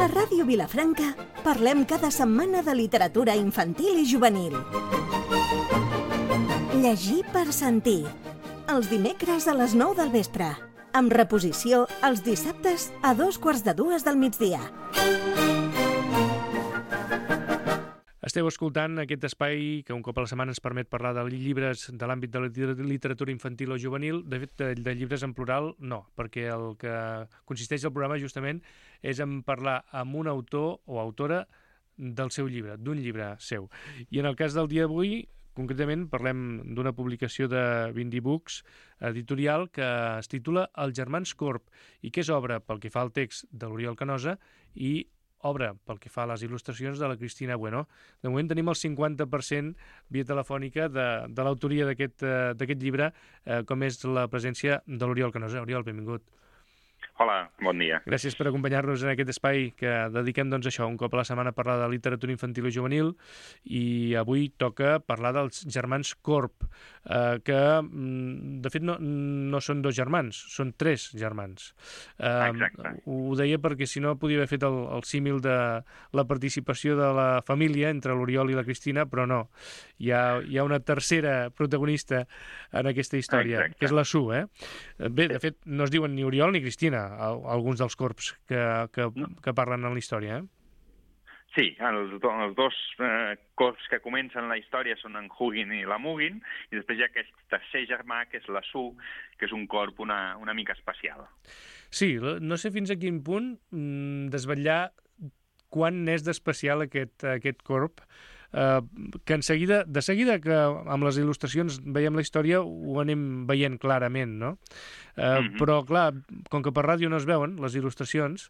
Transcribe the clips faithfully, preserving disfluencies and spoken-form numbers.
A Ràdio Vilafranca parlem cada setmana de literatura infantil i juvenil. Llegir per sentir. Els dimecres a les nou del vespre. Amb reposició els dissabtes a dos quarts de dues del migdia. Esteu escoltant aquest espai que un cop a la setmana ens permet parlar de llibres de l'àmbit de la literatura infantil o juvenil. De fet, de, de llibres en plural, no, perquè el que consisteix el programa justament és en parlar amb un autor o autora del seu llibre, d'un llibre seu. I en el cas del dia d'avui, concretament, parlem d'una publicació de Bindi Books editorial que es titula Els germans Corb i que és obra pel que fa al text de l'Oriol Canosa i obra pel que fa a les il·lustracions de la Cristina Bueno. De moment tenim el cinquanta per cent via telefònica de, de l'autoria d'aquest uh, d'aquest llibre, uh, com és la presència de l'Oriol Canosa. Oriol, benvingut. Hola, bon dia. Gràcies per acompanyar-nos en aquest espai que dediquem doncs, a això, un cop a la setmana a parlar de literatura infantil i juvenil, i avui toca parlar dels germans Corb, eh, que de fet no, no són dos germans, són tres germans. Eh, Exacte. Ho deia perquè si no podia haver fet el, el símil de la participació de la família entre l'Oriol i la Cristina, però no. Hi ha, hi ha una tercera protagonista en aquesta història, Exacte. que és la Su. Eh? Bé, de fet, no es diuen ni Oriol ni Cristina, alguns dels corps que, que, que parlen en la història, eh? Sí, els, do, els dos eh, corps que comencen la història són en Hugin i la Mugin, i després hi ha aquest tercer germà, que és la Su, que és un corp una, una mica especial. Sí, no sé fins a quin punt mm, desvetllar quan n'és d'especial aquest, aquest corp, eh, que en seguida, de seguida que amb les il·lustracions veiem la història ho anem veient clarament, no? Eh, mm-hmm. Però, clar, com que per ràdio no es veuen les il·lustracions,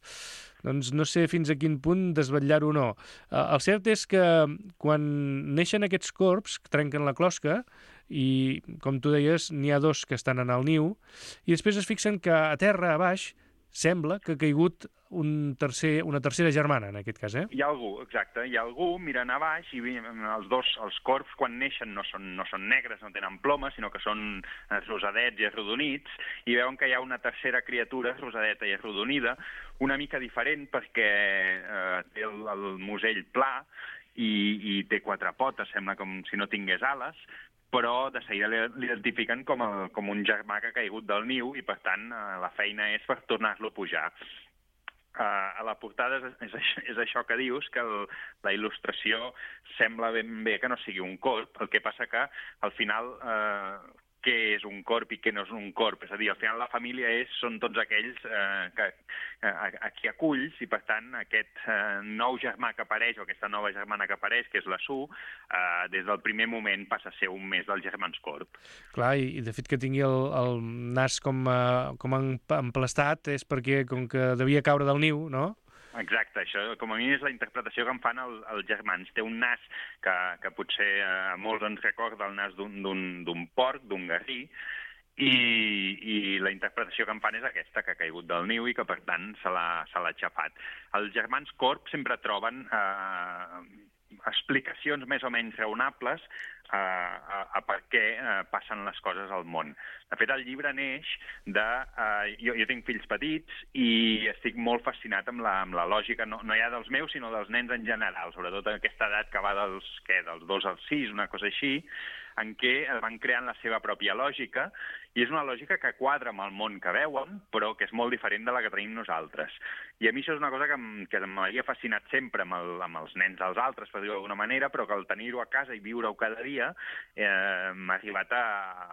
doncs no sé fins a quin punt desvetllar-ho o no. Eh, el cert és que quan neixen aquests corps, trenquen la closca, i, com tu deies, n'hi ha dos que estan en el niu, i després es fixen que a terra, a baix, sembla que ha caigut un tercer, una tercera germana, en aquest cas, eh? Hi ha algú, exacte, hi ha algú mirant a baix i els dos, els corps, quan neixen, no són, no són negres, no tenen plomes, sinó que són rosadets i arrodonits, i veuen que hi ha una tercera criatura rosadeta i arrodonida, una mica diferent perquè eh, té el, el musell pla i, i té quatre potes, sembla com si no tingués ales, però de seguida l'identifiquen com, el, com un germà que ha caigut del niu i, per tant, la feina és per tornar-lo a pujar. Uh, a la portada és, és, és això que dius, que el, la il·lustració sembla ben bé que no sigui un corp, el que passa que al final uh, què és un corp i què no és un corp, és a dir, al final la família és, són tots aquells uh, que, uh, a qui aculls, i per tant aquest uh, nou germà que apareix, o aquesta nova germana que apareix, que és la Su, uh, des del primer moment passa a ser un més dels germans Corb. Clar, i, i de fet que tingui el, el nas com, uh, com emplastat és perquè com que devia caure del niu, no? Exacte, això com a mínim és la interpretació que en fan el, els germans. Té un nas que, que potser a molts ens recorda el nas d'un porc, d'un garrí, i, i la interpretació que en fan és aquesta, que ha caigut del niu i que per tant se l'ha aixafat. Els germans Corb sempre troben eh, explicacions més o menys raonables a, a, a per què uh, passen les coses al món. De fet, el llibre neix de... Uh, jo, jo tinc fills petits i estic molt fascinat amb la, amb la lògica, no, no ja dels meus, sinó dels nens en general, sobretot en aquesta edat que va dels, què, dels dos als sis, una cosa així, en què van creant la seva pròpia lògica, i és una lògica que quadra amb el món que veuen, però que és molt diferent de la que tenim nosaltres. I a mi això és una cosa que, que m'havia fascinat sempre amb, el, amb els nens dels altres, per dir-ho d'alguna manera, però que al tenir-ho a casa i viure-ho cada dia eh, m'ha arribat a,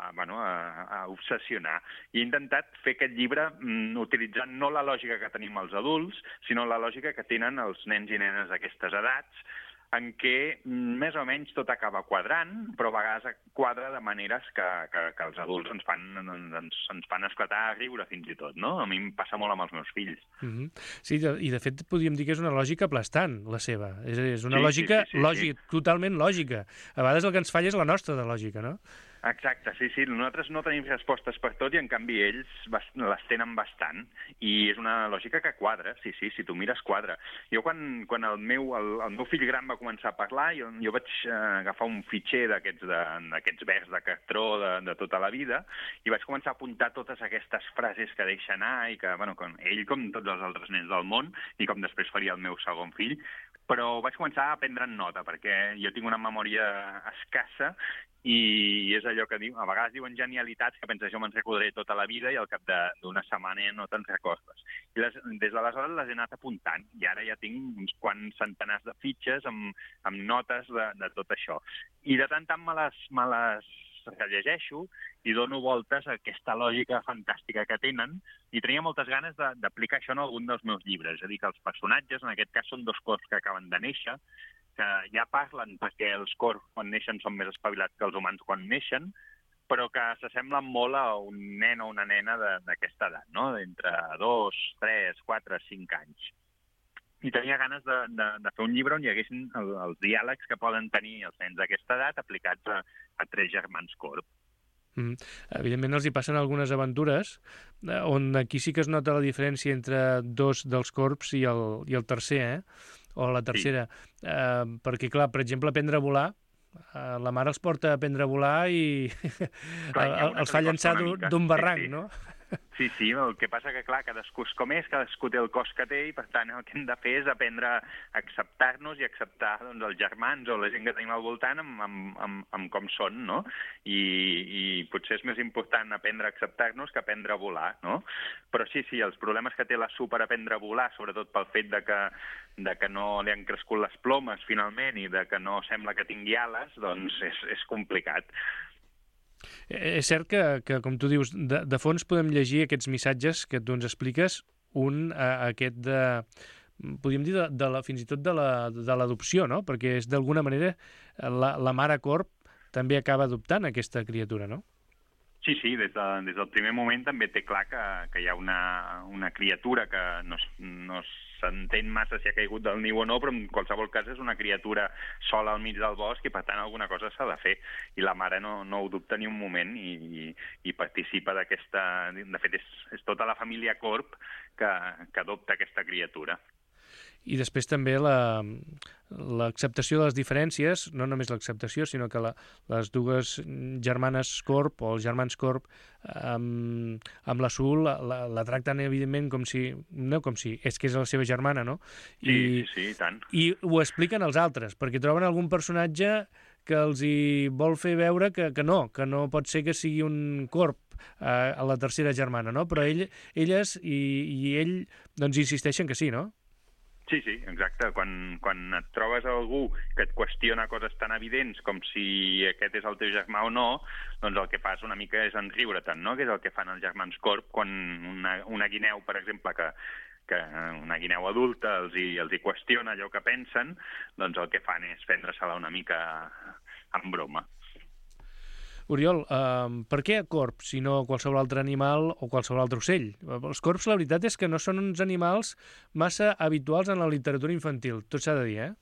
a, bueno, a, a obsessionar. I he intentat fer aquest llibre mm, utilitzant no la lògica que tenim els adults, sinó la lògica que tenen els nens i nenes d'aquestes edats, en què més o menys tot acaba quadrant, però a vegades quadra de maneres que, que, que els adults ens fan, ens, ens fan esclatar a riure fins i tot, no? A mi em passa molt amb els meus fills. Mm-hmm. Sí, i de fet podríem dir que és una lògica aplastant, la seva. És, és una sí, lògica sí, sí, sí, lògica, sí. totalment lògica. A vegades el que ens falla és la nostra de lògica, no? Exacte, sí, sí. Nosaltres no tenim respostes per tot i, en canvi, ells les tenen bastant. I és una lògica que quadra, sí, sí, si tu mires, quadra. Jo, quan, quan el, meu, el, el meu fill gran va començar a parlar, jo, jo vaig eh, agafar un fitxer d'aquests d'aquests vers de cartró de, de tota la vida i vaig començar a apuntar totes aquestes frases que deixa anar i que, bueno, com ell, com tots els altres nens del món, i com després faria el meu segon fill, però vaig començar a prendre nota, perquè jo tinc una memòria escassa i és allò que diu, a vegades diuen genialitats que penses jo me'n recordaré tota la vida i al cap d'una setmana no te'n recordes. I les, des d'aleshores les he anat apuntant i ara ja tinc uns quants centenars de fitxes amb, amb notes de, de tot això. I de tant en tant me les, me les rellegeixo i dono voltes a aquesta lògica fantàstica que tenen i tenia moltes ganes d'aplicar això en algun dels meus llibres. És a dir, que els personatges, en aquest cas, són dos cors que acaben de néixer, que ja parlen perquè els cors quan neixen són més espavilats que els humans quan neixen, però que s'assemblen molt a un nen o una nena d'aquesta edat, no? D'entre dos, tres, quatre, cinc anys. I tenia ganes de, de, de fer un llibre on hi haguessin el, els diàlegs que poden tenir els nens d'aquesta edat aplicats a, a tres germans corb. Mm. Evidentment els hi passen algunes aventures on aquí sí que es nota la diferència entre dos dels corbs i el, i el tercer, eh? O la tercera. Sí. Eh, perquè, clar, per exemple, aprendre a volar, eh, la mare els porta a aprendre a volar i clar, els fa llançar d'un barranc, sí, sí. No? Sí, sí, el que passa que, clar, cadascú és com és, cadascú té el cos que té i, per tant, el que hem de fer és aprendre a acceptar-nos i acceptar doncs, els germans o la gent que tenim al voltant amb, amb, amb, amb com són, no? I, i potser és més important aprendre a acceptar-nos que aprendre a volar, no? Però sí, sí, els problemes que té la Sue per aprendre a volar, sobretot pel fet de que, de que no li han crescut les plomes, finalment, i de que no sembla que tingui ales, doncs és, és complicat. És cert que, que com tu dius, de, de fons podem llegir aquests missatges que tu ens expliques, un a, aquest de, podríem dir, de, de la, fins i tot de l'adopció, no? Perquè és d'alguna manera la, la mare corb també acaba adoptant aquesta criatura, no? Sí, sí, des, de, des del primer moment també té clar que, que hi ha una, una criatura que no, no s'entén massa si ha caigut del niu o no, però en qualsevol cas és una criatura sola al mig del bosc i per tant alguna cosa s'ha de fer. I la mare no, no ho dubta ni un moment i, i, i participa d'aquesta... De fet, és, és tota la família corb que, que adopta aquesta criatura. I després també l'acceptació la, de les diferències, no només l'acceptació, sinó que la, les dues germanes corb o els germans corb amb, amb la Sue la, la, la tracten evidentment com si, no com si, és que és la seva germana, no? I, sí, sí, i tant. I ho expliquen als altres, perquè troben algun personatge que els hi vol fer veure que, que no, que no pot ser que sigui un corb eh, a la tercera germana, no? Però ell, elles i, i ell doncs insisteixen que sí, no? Sí, sí, exacte. Quan, quan et trobes algú que et qüestiona coses tan evidents com si aquest és el teu germà o no, doncs el que fas una mica és enriure-te'n, no? Que és el que fan els germans corb quan una, una guineu, per exemple, que, que una guineu adulta els hi, els hi qüestiona allò que pensen, doncs el que fan és prendre-se-la una mica en broma. Oriol, eh, per què corb, si no qualsevol altre animal o qualsevol altre ocell? Els corbs, la veritat és que no són uns animals massa habituals en la literatura infantil, tot s'ha de dir, eh?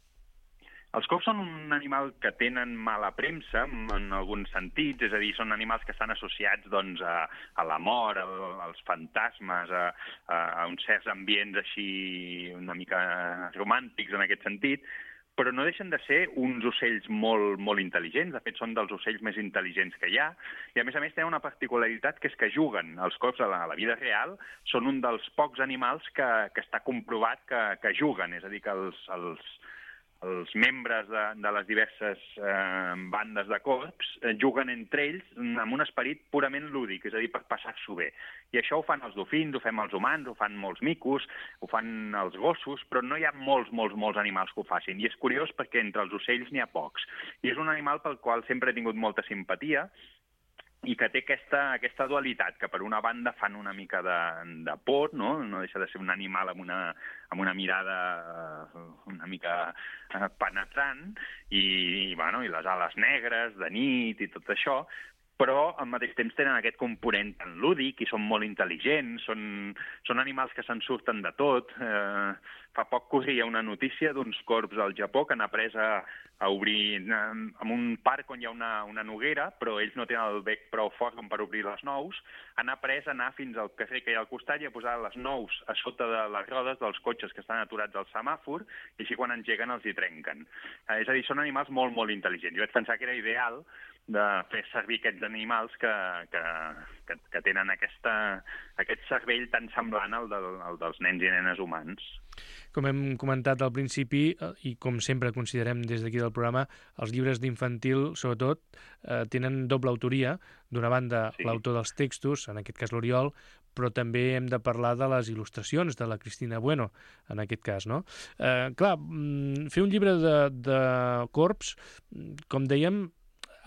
Els corbs són un animal que tenen mala premsa, en alguns sentits, és a dir, són animals que estan associats doncs, a, a la mort, a, als fantasmes, a, a uns certs ambients així una mica romàntics en aquest sentit, però no deixen de ser uns ocells molt, molt intel·ligents. De fet, són dels ocells més intel·ligents que hi ha. I, a més a més, tenen una particularitat que és que juguen. Els corbs a la, a la vida real són un dels pocs animals que, que està comprovat que, que juguen. És a dir, que els, els, els membres de, de les diverses eh, bandes de corbs eh, juguen entre ells amb un esperit purament lúdic, és a dir, per passar-s'ho bé. I això ho fan els dofins, ho fem els humans, ho fan molts micos, ho fan els gossos, però no hi ha molts, molts, molts animals que ho facin. I és curiós perquè entre els ocells n'hi ha pocs. I és un animal pel qual sempre he tingut molta simpatia i que té aquesta, aquesta dualitat, que per una banda fan una mica de, de por, no? No deixa de ser un animal amb una, amb una mirada una mica penetrant, i, i, bueno, i les ales negres de nit i tot això, però al mateix temps tenen aquest component tan lúdic i són molt intel·ligents, són, són animals que se'n surten de tot. Eh, fa poc corria una notícia d'uns corbs al Japó que han après a, a obrir eh, en un parc on hi ha una, una noguera, però ells no tenen el bec prou fort com per obrir les nous, han après a anar fins al carrer que hi ha al costat i a posar les nous a sota de les rodes dels cotxes que estan aturats al semàfor, i així quan engeguen els hi trenquen. Eh, és a dir, són animals molt, molt intel·ligents. Jo vaig pensar que era ideal de fer servir aquests animals que, que, que, que tenen aquesta, aquest cervell tan semblant al, del, al dels nens i nenes humans. Com hem comentat al principi, i com sempre considerem des d'aquí del programa, els llibres d'infantil, sobretot, eh, tenen doble autoria. D'una banda, sí. l'autor dels textos, en aquest cas l'Oriol, però també hem de parlar de les il·lustracions de la Cristina Bueno, en aquest cas, no? Eh, clar, fer un llibre de, de corbs, com dèiem,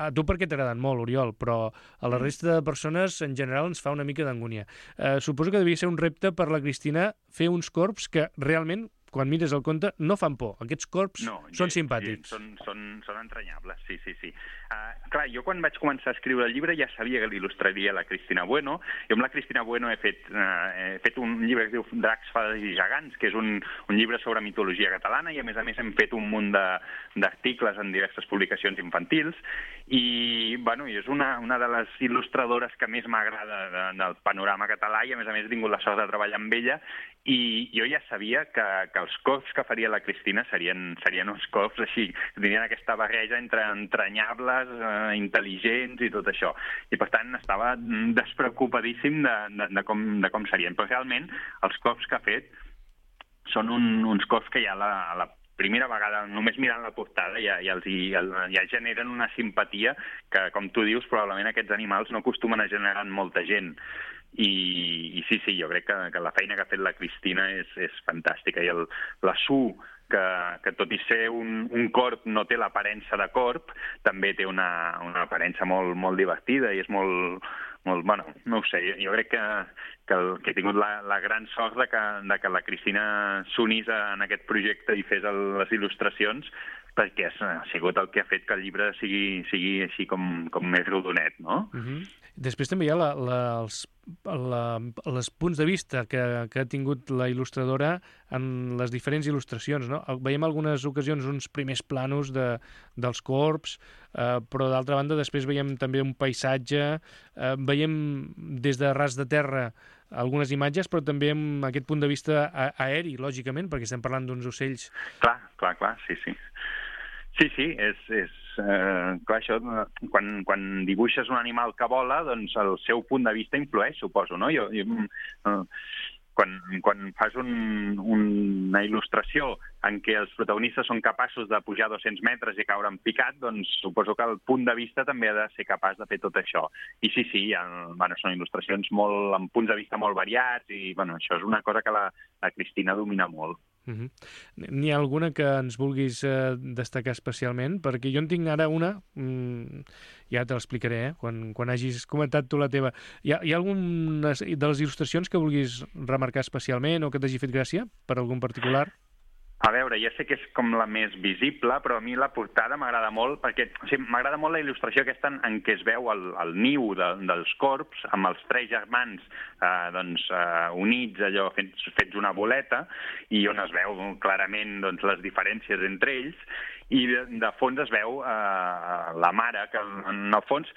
a tu perquè t'agraden molt, Oriol, però a la resta de persones en general ens fa una mica d'angúnia. Eh, suposo que devia ser un repte per la Cristina fer uns corbs que realment, quan mires el conte, no fan por. Aquests corbs no, són gens, simpàtics. Gens, són, són, són entranyables, sí, sí, sí. Uh, clar, jo quan vaig començar a escriure el llibre ja sabia que l'il·lustraria la Cristina Bueno. Jo amb la Cristina Bueno he fet, uh, he fet un llibre que es diu Dracs, Fades i Gegants, que és un, un llibre sobre mitologia catalana, i a més a més hem fet un munt d'articles en diverses publicacions infantils, i, bueno, i és una, una de les il·lustradores que més m'agrada de, del panorama català, i a més a més he tingut la sort de treballar amb ella, i jo ja sabia que, que els cops que faria la Cristina serien, serien uns cops així, que tenien aquesta barreja entre entranyables, eh, intel·ligents i tot això. I per tant estava despreocupadíssim de, de, de, com, de com serien. Però realment els cops que ha fet són un, uns cops que ja la, la primera vegada, només mirant la portada, ja, ja, els, ja, ja generen una simpatia que, com tu dius, probablement aquests animals no acostumen a generar en molta gent. I, i sí, sí, jo crec que, que la feina que ha fet la Cristina és, és fantàstica. I el, la Su, que, que tot i ser un, un corb no té l'aparença de corb, també té una, una aparença molt, molt divertida i és molt, molt, bueno, no ho sé, jo crec que, que, el, que he tingut la, la gran sort de que, de que la Cristina s'unís en aquest projecte i fes el, les il·lustracions, perquè ha sigut el que ha fet que el llibre sigui, sigui així com, com més rodonet, no? Uh-huh. Després també hi ha la, la, els, la, els punts de vista que, que ha tingut la il·lustradora en les diferents il·lustracions, no? Veiem algunes ocasions uns primers planos de, dels corbs, eh, però d'altra banda després veiem també un paisatge, eh, veiem des de ras de terra algunes imatges, però també amb aquest punt de vista aeri, lògicament, perquè estem parlant d'uns ocells. Clar, clar, clar, sí, sí. Sí, sí, és, és eh, clar, això, quan, quan dibuixes un animal que vola, doncs el seu punt de vista influeix, suposo, no? Jo, jo, eh, quan, quan fas un, una il·lustració en què els protagonistes són capaços de pujar dos-cents metres i caure en picat, doncs suposo que el punt de vista també ha de ser capaç de fer tot això. I sí, sí, ha, bueno, són il·lustracions molt, amb punts de vista molt variats, i bueno, això és una cosa que la, la Cristina domina molt. Uh-huh. N'hi ha alguna que ens vulguis eh, destacar especialment? Perquè jo en tinc ara una, mm, ja te l'explicaré, eh? quan, quan hagis comentat tu la teva. Hi ha, hi ha alguna de les il·lustracions que vulguis remarcar especialment o que t'hagi fet gràcia per algun particular? A veure, ja sé que és com la més visible, però a mi la portada m'agrada molt, perquè o sigui, m'agrada molt la il·lustració aquesta en, en què es veu el, el niu de, dels corbs, amb els tres germans eh, doncs, eh, units, allò fets, fets una boleta, i on es veu clarament doncs, les diferències entre ells, i de, de fons es veu eh, la mare, que en el fons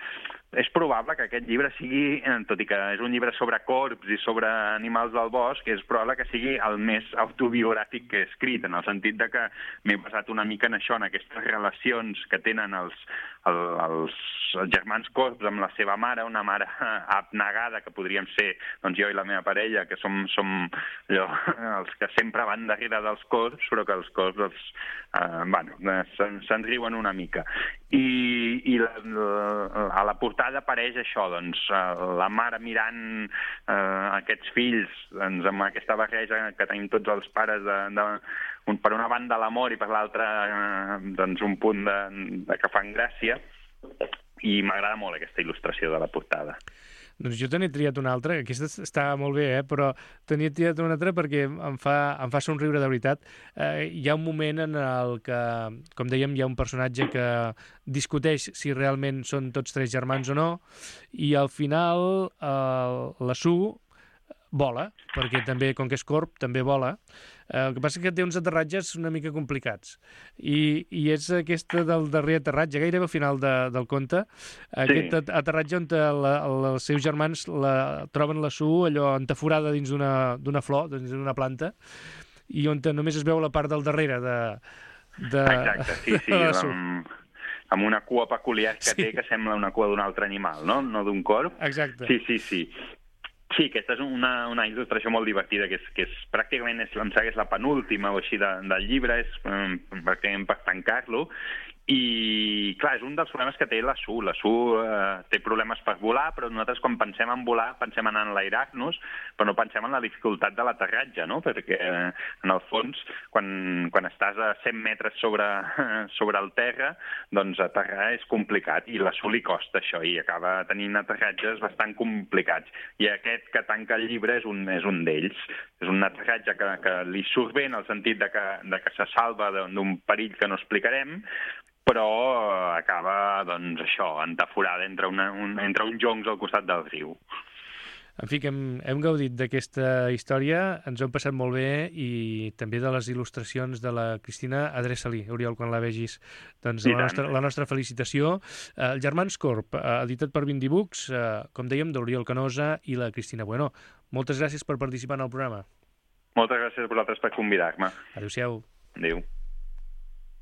és probable que aquest llibre sigui, tot i que és un llibre sobre corbs i sobre animals del bosc, és probable que sigui el més autobiogràfic que he escrit, en el sentit de que m'he basat una mica en això, en aquestes relacions que tenen els, el, els germans corbs amb la seva mare, una mare abnegada, que podríem ser doncs, jo i la meva parella, que som, som allò, els que sempre van darrere dels corbs, però que els corbs els, eh, bueno, se'n se riuen una mica. I, i la, la, a la portada apareix això, doncs, la mare mirant eh, aquests fills doncs, amb aquesta barreja que tenim tots els pares de, de, un, per una banda l'amor i per l'altra eh, doncs, un punt de, de que fan gràcia, i m'agrada molt aquesta il·lustració de la portada. Doncs jo tenia triat una altra, aquesta està molt bé, eh? Però tenia triat una altra perquè em fa, em fa somriure de veritat. Eh, hi ha un moment en el que, com dèiem, hi ha un personatge que discuteix si realment són tots tres germans o no, i al final eh, la Sue vola, perquè també, com que és corb, també vola. Eh, el que passa és que té uns aterratges una mica complicats. I, i és aquesta del darrer aterratge, gairebé al final de, del conte, aquest sí. aterratge on la, la, els seus germans la, troben la Sue allò entaforada dins d'una flor, dins d'una planta, i on només es veu la part del darrere de... de Exacte, sí, sí, amb, amb una cua peculiar que sí. té que sembla una cua d'un altre animal, no? No d'un corb. Exacte. Sí, sí, sí. Sí, aquesta és una, una il·lustració molt divertida, que és, que és pràcticament, és, em sembla que és la penúltima o així de, del llibre, és um, pràcticament per tancar-lo, i, clar, és un dels problemes que té la Sue. La Sue eh, té problemes per volar, però nosaltres quan pensem en volar pensem en enlairar-nos, però no pensem en la dificultat de l'aterratge, no? Perquè, eh, en el fons, quan, quan estàs a cent metres sobre, sobre el terra, doncs aterrar és complicat, i la Sue li costa això, i acaba tenint aterratges bastant complicats. I aquest que tanca el llibre és un, és un d'ells. És un aterratge que, que li surt bé en el sentit de que, de que se salva d'un perill que no explicarem, però acaba, doncs, això, entaforada entre, una, un, entre uns joncs al costat del riu. En fi, que hem, hem gaudit d'aquesta història, ens ho hem passat molt bé, i també de les il·lustracions de la Cristina. Adreça-li, Oriol, quan la vegis. Doncs la nostra, la nostra felicitació. El Germans Corb, editat per Vindy Books, com dèiem, d'Oriol Canosa i la Cristina Bueno. Moltes gràcies per participar en el programa. Moltes gràcies a vosaltres per convidar-me. Adéu-siau. Adéu.